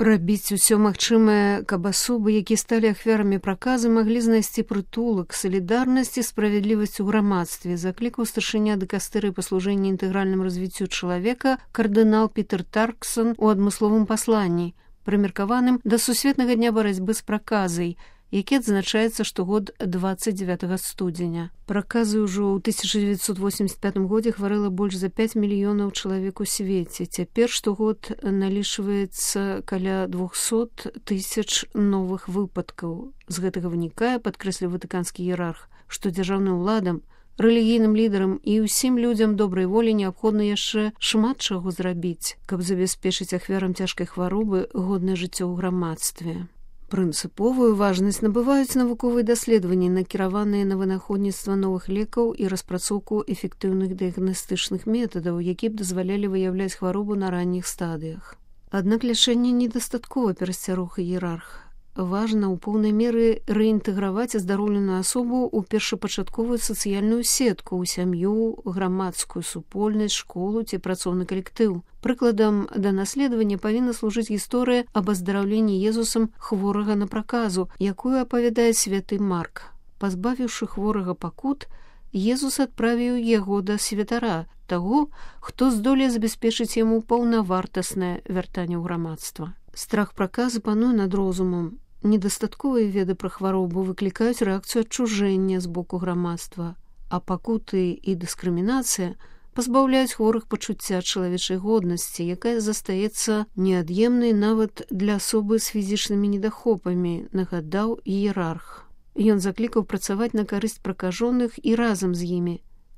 Рабіць усё магчымае, каб асобы, якія сталі ахвярамі праказы, маглі знайсці прытулак, салідарнасць і справядлівасць у грамадстве, заклікаў старшыня дыкастырыі па служэнні інтэгральным развіццю чалавека кардынал Пітер Тарксон у адмысловым пасланні, прымеркаваным да сусветнага дня барацьбы з праказай, які адзначаецца штогод 29 студзеня. Праказы ўжо ў 1985 годзе хварэла больш за 5 мільёнаў чалавек у свеце. Цяпер штогод налічваецца каля 200 тысяч новых выпадкаў. З гэтага вынікае, падкрэсліў ватыканскі іерарх, што дзяржаўным уладам, рэлігійным лідарам і ўсім людзям добрай волі неабходна яшчэ шмат чаго зрабіць, каб забяспечыць ахвярам цяжкай хваробы годнае жыццё ў грамадстве. Прынцыповую важнасць набываюць навуковыя даследаванні, накіраваныя на вынаходніцтва новых лекаў і распрацоўку эфектыўных дыягнастычных метадаў, якія б дазвалялі выяўляць хваробу на ранніх стадыях. Аднак лячэнне недастаткова, перасцярог іерарх. Важна ў поўнай меры рэінтэграваць аздароўленую асобу ў першапачатковую сацыяльную сетку, ў сям'ю, грамадскую супольнасць, школу ці працоўны калектыў. Прыкладам да наследавання павінна служыць гісторыя аб аздараўленні Езусам хворага на праказу, якую апавядае святы Марк. Пазбавіўшы хворага пакут, Езус адправіў яго да святара, таго, хто здолее забяспечыць яму паўнавартаснае вяртанне ў грамадства. Страх праказы пануе над розумам. Недастатковыя веды пра хваробу выклікаюць рэакцыю адчужэння з боку грамадства, а пакуты і дыскрымінацыя пазбаўляюць хворых пачуцця чалавечай годнасці, якая застаецца неад'емнай нават для асобы з фізічнымі недахопамі, нагадаў іерарх. Ён заклікаў працаваць на карысць пракажоных і разам з імі,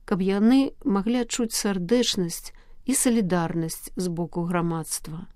каб яны маглі адчуць сардэчнасць і салідарнасць з боку грамадства.